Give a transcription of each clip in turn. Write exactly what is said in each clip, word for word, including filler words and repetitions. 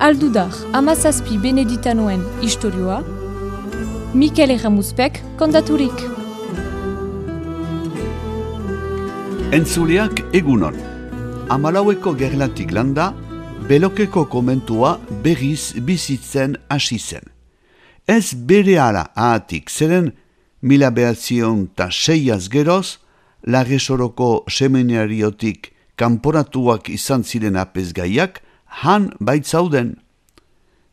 Aldudar, amazazpi beneditanoen istorioa, Mikel Erramuzpek kontaturik. Entzuleak egunon. Amalaueko gerlatik landa, Belokeko komentua berriz bizitzen hasi zen. Ez berehala ahatik, zeren mila behatzion ta seiaz geroz, Larresoroko seminariotik kanporatuak izan ziren apezgaiak, han baitzauden.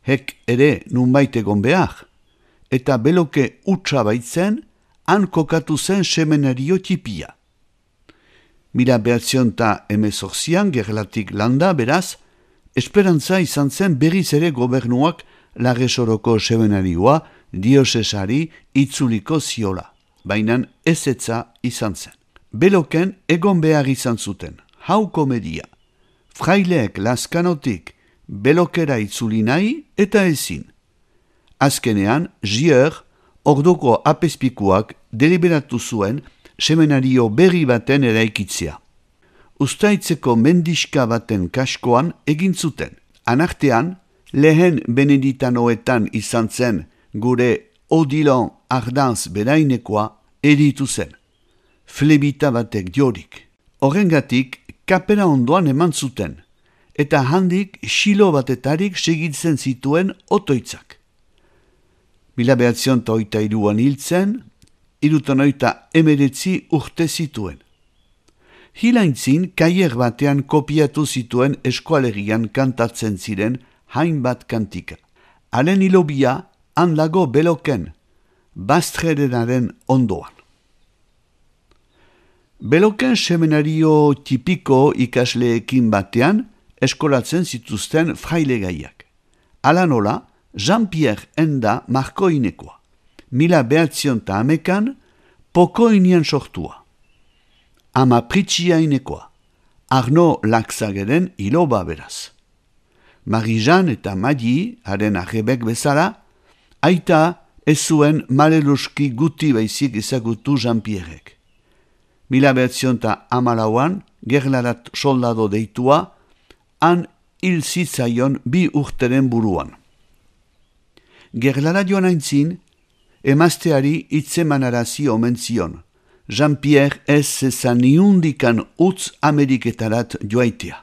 Hek ere nunbait egon behar, eta Beloke utxa baitzen, han kokatu zen seminario tipia. Mila behatzion ta emezorzian gerlatik landa beraz, esperantza izan zen berriz ere gobernuak Larresoroko seminarioa diosesari itzuliko ziola, bainan ezetza izan zen. Beloken egon behar izan zuten, hau komedia. Fraileek Laskanotik Belokera itzuli nahi eta ezin. Azkenean, Gier, orduko apezpikuak deliberatu zuen seminario berri baten eraikitzea. Uztaitzeko mendiska baten kaskoan egin zuten. Anartean, lehen beneditanoetan izan zen gure Odilon Ardanz berainekoa eritu zen. Flebita batek diorik. Horrengatik, kapera ondoan eman zuten, eta handik xilo batetarik segitzen zituen otoitzak. Mila behatzion ta oita iruan hiltzen, irutan oita emeretzi urte zituen. Hilaintzin, kaier batean kopiatu zituen eskualerian kantatzen ziren hainbat kantika. Haren hilobia, han dago Beloken, Bastrerenaren ondoan. Beloken seminario tipiko ikasleekin batean eskolatzen zituzten frailegaiak. Hala nola, Jean-Pierre enda markoinekoa. Mila behatzion ta amekan, pokoinian sortua. Ama pritxiainekoa. Arno Laxageren iloba beraz. Marie-Jeanne eta Madi, haren arrebek bezala, aita ez zuen maleluski guti baizik ezagutu Jean-Pierrek. Mila behatzion ta amalauan, gerlarat soldado deitua, han hil zitzaion bi urteren buruan. Gerlara joan aintzin, emazteari itzemanarazi omen zion. Jean-Pierre ez zezan niundikan utz Ameriketarat joaitea.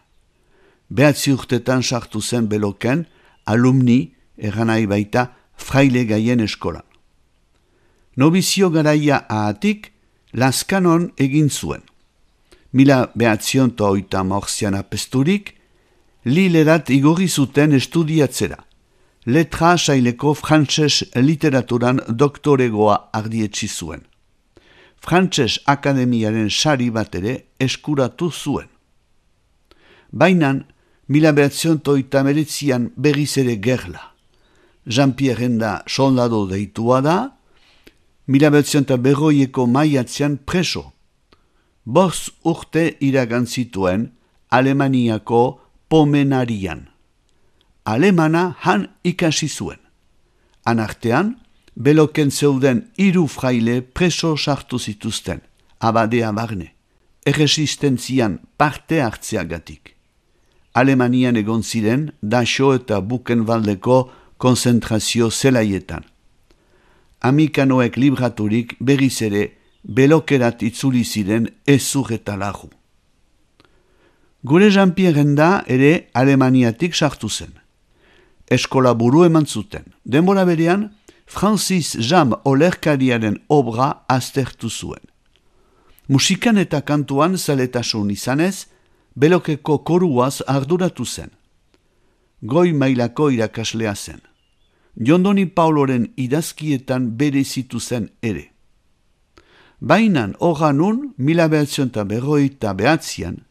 Behatzi urtetan sartu zen Beloken, alumni, erranai baita, fraile gaien eskolan. Nobizio garaia ahatik, Laskanon egin zuen. Mila behatzion ta oita morzian apesturik, Lilerat igorri zuten estudiatzera. Letra saileko frantses literaturan doktoregoa ardietsi zuen. Frantses akademiaren sari bat ere eskuratu zuen. Bainan, mila behatzion ta oita meretzian berriz ere gerla. Jean-Pierre enda soldado deitua da, mila behatzion ta berroieko maiatzean preso. Bost urte iragan zituen Alemaniako Pomenarian. Alemana han ikasi zuen. Anartean, Beloken zeuden hiru fraile preso sartu zituzten, abadea barne, erresistentzian parte hartzeagatik. Alemanian egon ziren Daxo eta Buchenwaldeko konzentrazio zelaietan. Amikanoek libraturik berriz ere Belokerat itzuli ziren ezur eta lagu. Gure Jean-Pierre enda ere Alemaniatik sartu zen. Eskola buru eman zuten. Denbora berean, Francis Jam olerkariaren obra aztertu zuen. Musikan eta kantuan zaletasun izanez, Belokeko koruaz arduratu zen. Goi mailako irakaslea zen. Jondoni Pauloren idazkietan berezitu zen ere. Bainan horanun, mila behatzion ta berroita behatzian,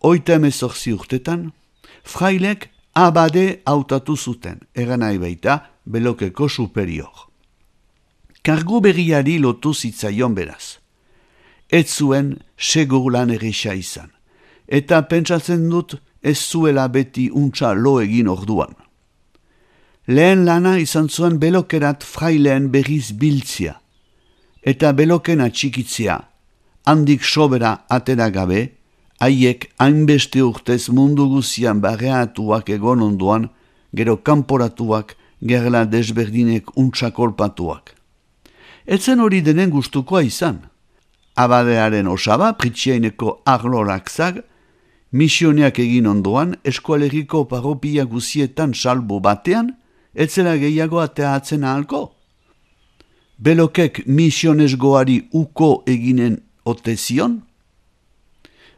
oita emezorzi urtetan, frailek abade hautatu zuten, eranai baita Belokeko superior. Kargu berriari lotu zitzaion beraz. Ez zuen segur lan erresa izan, eta pentsatzen dut ez zuela beti untsa lo egin orduan. Lehen lana izan zuen Belokerat fraileen berriz biltzia, eta Beloken atxikitzea, handik sobera atera gabe, haiek hainbeste urtez mundu guzian barreatuak egon ondoan, gero kanporatuak, gerla desberdinek untsakolpatuak. Etzen hori denen gustukoa izan. Abadearen osaba, pritxiaineko arlorak zag, misioneak egin ondoan, eskualeriko parropia guzietan salbu batean, etzela gehiago ateatzen ahalko. Belokek misionesgoari uko eginen ote zion?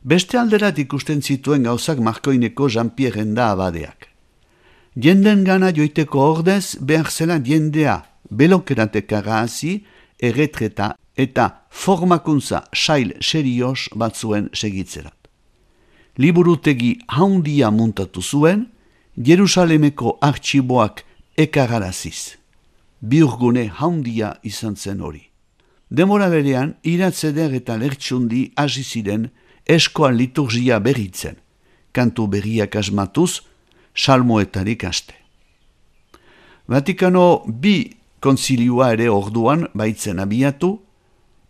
Beste alderat ikusten zituen gauzak Markoineko Jean-Pierre da abadeak. Jenden gana joiteko ordez behar zela jendea belokeratekara hazi, erretreta eta formakuntza sail serios batzuen segitzerat. Liburutegi haundia muntatu zuen, Jerusalemeko artxiboak ekararaziz. Biurgune haundia izan zen hori. Demora berean, iratzeder eta lertsundi hasi ziren eskoan liturgia berritzen, kantu berriak asmatuz, salmoetarik aste. Vatikano bi konzilioa ere orduan baitzen abiatu,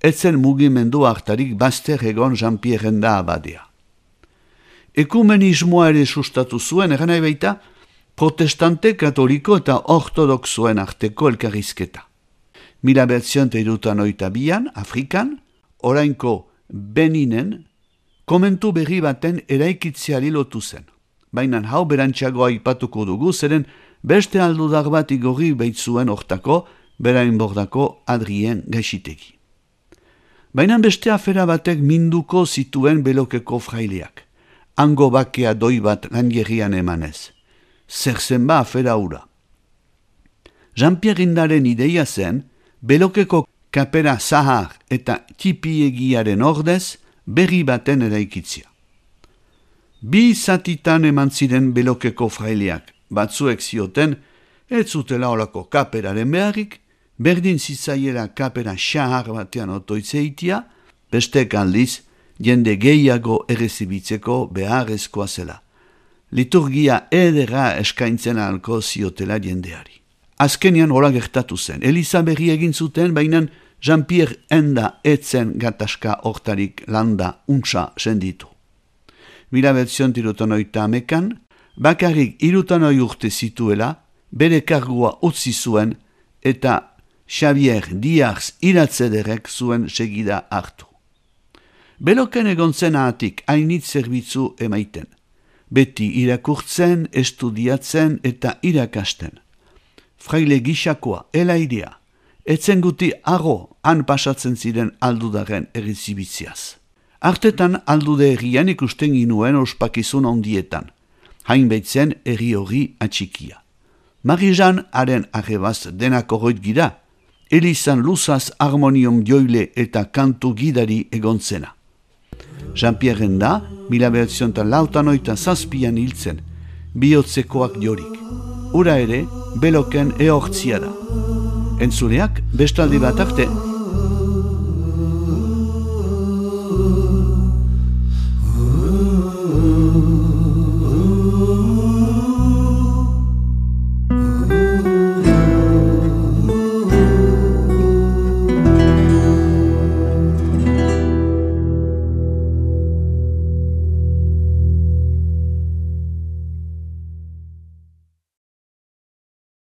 etzen mugimendu hartarik bazter egon Jean-Pierre da abadea. Ekumenismoa ere sustatu zuen, eran nahi baita, protestante, katoliko eta ortodoxoen arteko elkarrizketa. Mila behatzion irutan oita bian, Afrikan, orainko Beninen, komentu berri baten eraikitzeari lotu zen. Baina hau berantxagoa ipatuko dugu, zeren beste aldudar bat igorri baitzuen hortako, berain bordako Adrien gaixitegi. Baina beste afera batek minduko zituen Belokeko fraileak. Hango bakea doi bat gangerrian emanez. Zer zen ba afera hura. Jean-Pierre Indaren ideia zen, Belokeko kapera zahar eta tipiegiaren ordez berri baten eraikitzia. Bi zatitan eman ziren Belokeko fraileak, batzuek zioten, ez zutela olako kaperaren beharrik, berdin zitzaiera kapera xahar batean otoitzeitia, bestek aldiz, jende gehiago errezibitzeko beharrezkoa zela. Liturgia edera eskaintzen ahalko ziotela jendeari. Azkenian hola gertatu zen. Eliza berri egin zuten, baina Jean-Pierre enda etzen gatazka hortarik landa untsa senditu. Mila betzion irutan oita amekan, bakarrik irutan oi urte zituela, bere kargua utzi zuen eta Xavier Diaz iratzederek zuen segida hartu. Beloken egon zen ahatik hainitz zerbitzu emaiten. Beti irakurtzen, estudiatzen eta irakasten. Fraile gixakoa, elaidea, etzen guti arro han pasatzen ziren aldudaren errizibitziaz. Artetan aldude errian ikusten ginuen ospakizun ondietan, hainbaitzen erri hori atxikia. Marijan haren arrebaz denak horroit gira, elizan luzaz harmonium joile eta kantu gidari egontzena. Jean-Pierre da, mila behatzion eta lautan oita zazpian hiltzen, bihotzekoak jorik. Ura ere, Beloken ehortzia da. Entzuleak, bestaldi bat arte.